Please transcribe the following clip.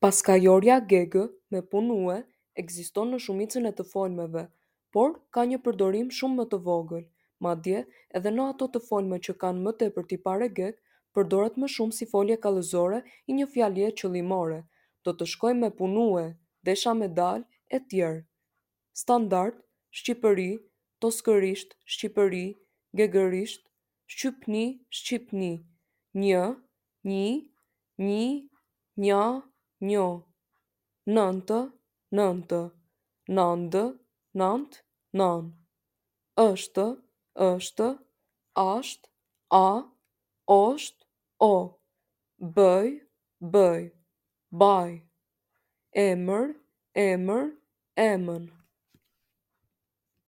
Paskajorja gegë "me punue" ekziston në shumicën e të folmeve, por ka një përdorim shumë më të vogël, madje edhe në ato të folme që kanë më tepër tipare gegë, përdoret më shumë si folje kallëzore i një fjalie qëllimore: "Do të shkoj me punue", "desha me dalë" etj. Standard, Shqipëri, Toskërisht, Shqipëri, Gegërisht, Shqypni, Shqipni, një, nji, nji, nja, njo, nëntë, nëntë, nandë, nant, nanë, është, ësht, asht, a, osht, o, bëj, bëj, baj, emër, emër, emën.